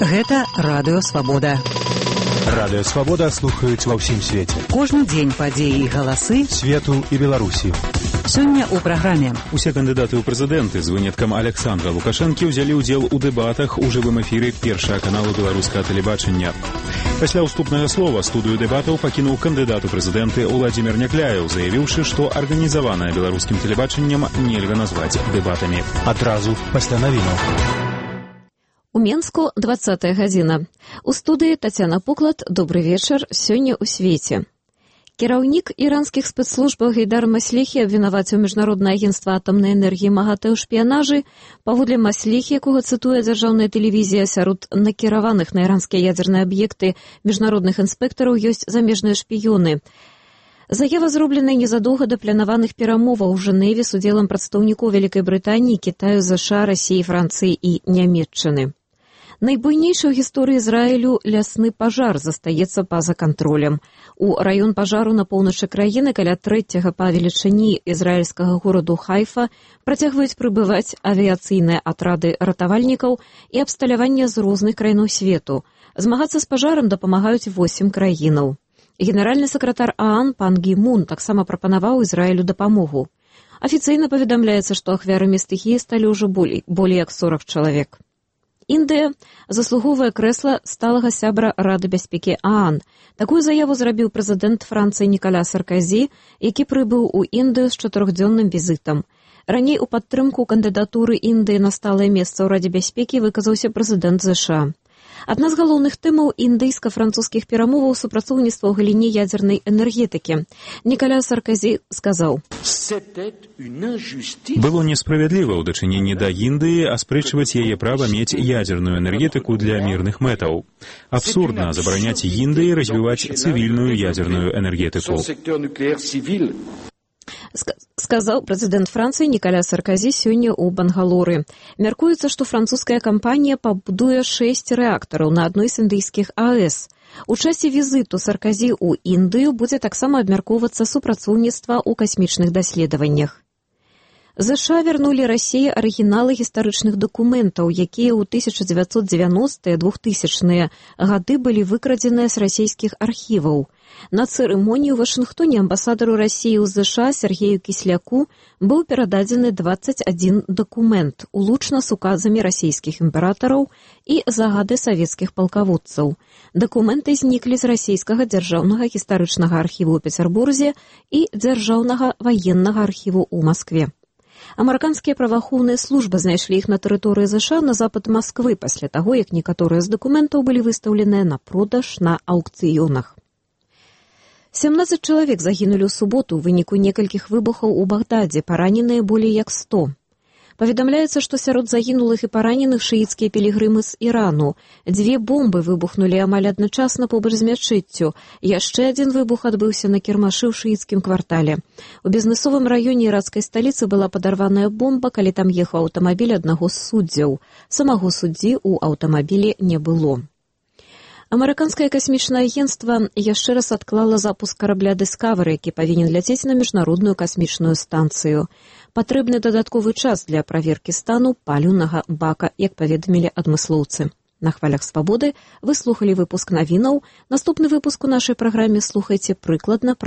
Гэта Радыё Свабода. Радыё Свабода слухаюць ва ўсім свеце. Кожны дзень падзеі і галасы свету і Беларусі. Сёння ў праграме. Усе кандыдаты ў прэзідэнты з выняткам Александра Лукашэнкі ўзялі ўдзел у дэбатах у жывым эфіры першага каналу беларускага тэлебачання. Пасля ўступнага слова студыю дэбатаў пакінуў кандыдат у прэзідэнты Уладзімір Някляеў, заявіўшы, што арганізаванае беларускім тэлебачаннем нельга назваць дэбатамі. Адразу пасля навінаў. У Менску 20-я гадзіна. У студыі Тацяна Пуклад. Добры вечар. Сёння ў свеце. Кіраўнік іранскіх спецслужбаў Гейдар Маслехі абвінаваціў Міжнароднае агенцтва атамнай энергіі МАГАТЭ ў шпіянажы. Паводле Маслехі, якога цытуе дзяржаўная тэлевізія, сярод накіраваных на іранскія ядзерныя аб'екты міжнародных інспектараў ёсць замежныя шпіёны. Заява зробленая незадоўга да планаваных перамоваў у Жэневе з удзелам прадстаўнікоў Вялікай Брытаніі, Кітаю, ЗША, Расіі, Францыі і Нямецчыны. Найбуйнейшы ў гісторыі Ізраілю лясны пажар застаецца па-за кантролем. У раён пажару на поўначы краіны каля трэцяга па велічыні ізраільскага гораду Хайфа працягваюць прыбываць авіяцыйныя атрады ратавальнікаў і абсталяванне з розных краінаў свету. Змагацца з пажарам дапамагаюць 8 краінаў. Генеральны сакратар ААН пан Гі Мун таксама прапанаваў Ізраілю дапамогу. Афіцыйна паведамляецца, што ахвярамі стыхіі сталі ўжо болей як 40 чалавек. Індыя заслугоўвае крэсла сталага сябра Рады бяспекі ААН. Такую заяву зрабіў прэзідэнт Францыі Нікаля Сарказі, які прыбыў у Індыю з 4-дзённым візітам. Раней у падтрымку кандыдатуры Індыі на сталае месца ў Радзе бяспекі выказаўся прэзідэнт ЗША. Адна з галоўных тэмаў індыйска-французскіх перамоваў супрацоўніцтва ў галіне ядзернай энергетыкі. Нікаля Сарказі сказаў: «Было несправядліва ў дачыненні да Індыі аспрэчваць яе права мець ядзерную энергетыку для мірных мэтаў. Абсурдна забараняць Індыі развіваць цывільную ядзерную энергетыку», сказаў прэзідэнт Францыі Нікаля Сарказі сёння ў Бангалоры. Мяркуецца, што французская кампанія пабудуе 6 рэактараў на адной з індыйскіх АЭС. У часе візіту Сарказі ў Індыю будзе таксама абмяркоўвацца супрацоўніцтва ў касмічных даследаваннях. ЗША вярнулі Расіі арыгіналы гістарычных дакументаў, якія ў 1990-2000-е гады былі выкрадзеныя з расійскіх архіваў. На цырымоніі ў Вашынгтоне амбасадару Расіі ў ЗША Сергею Кісляку быў перададзены 21 дакумент, улучна з указамі расійскіх імператараў і загады савецкіх палкаводцаў. Дакументы зніклі з расійскага дзяржаўнага гістарычнага архіву ў Пецярбурзе і дзяржаўнага ваеннага архіву ў Маскве. Амерыканскія праваахоўныя службы знайшлі іх на тэрыторыі ЗША на запад Масквы пасля таго, як некаторыя з дакументаў былі выстаўленыя на продаж на аўкцыёнах. 17 чалавек загінулі ў суботу ў выніку некалькіх выбухаў у Багдадзе, параненыя болей як 100. Паведамляецца, што сярод загінулых і параненых шыіцкія пілігрымы з Ірану. 2 бомбы выбухнулі амаль адначасна побач з мячэццю. Яшчэ адзін выбух адбыўся на кірмашы ў шыіцкім квартале. У бізнесовым раёне іракскай сталіцы была падарваная бомба, калі там ехаў аўтамабіль аднаго з суддзяў. Самого суддзі ў аўтамабілі не было. Амерыканскае касмічнае агенцтва яшчэ раз адклала запуск карабля «Дыскавары», які павінен ляцець на міжнародную касмічную станцыю. Патрэбны дадатковы час для праверкі стану паліўнага бака, як паведамілі адмыслоўцы. На хвалях Свабоды вы слухалі выпуск навінаў. Наступны выпуск у нашай праграме слухайце прыкладна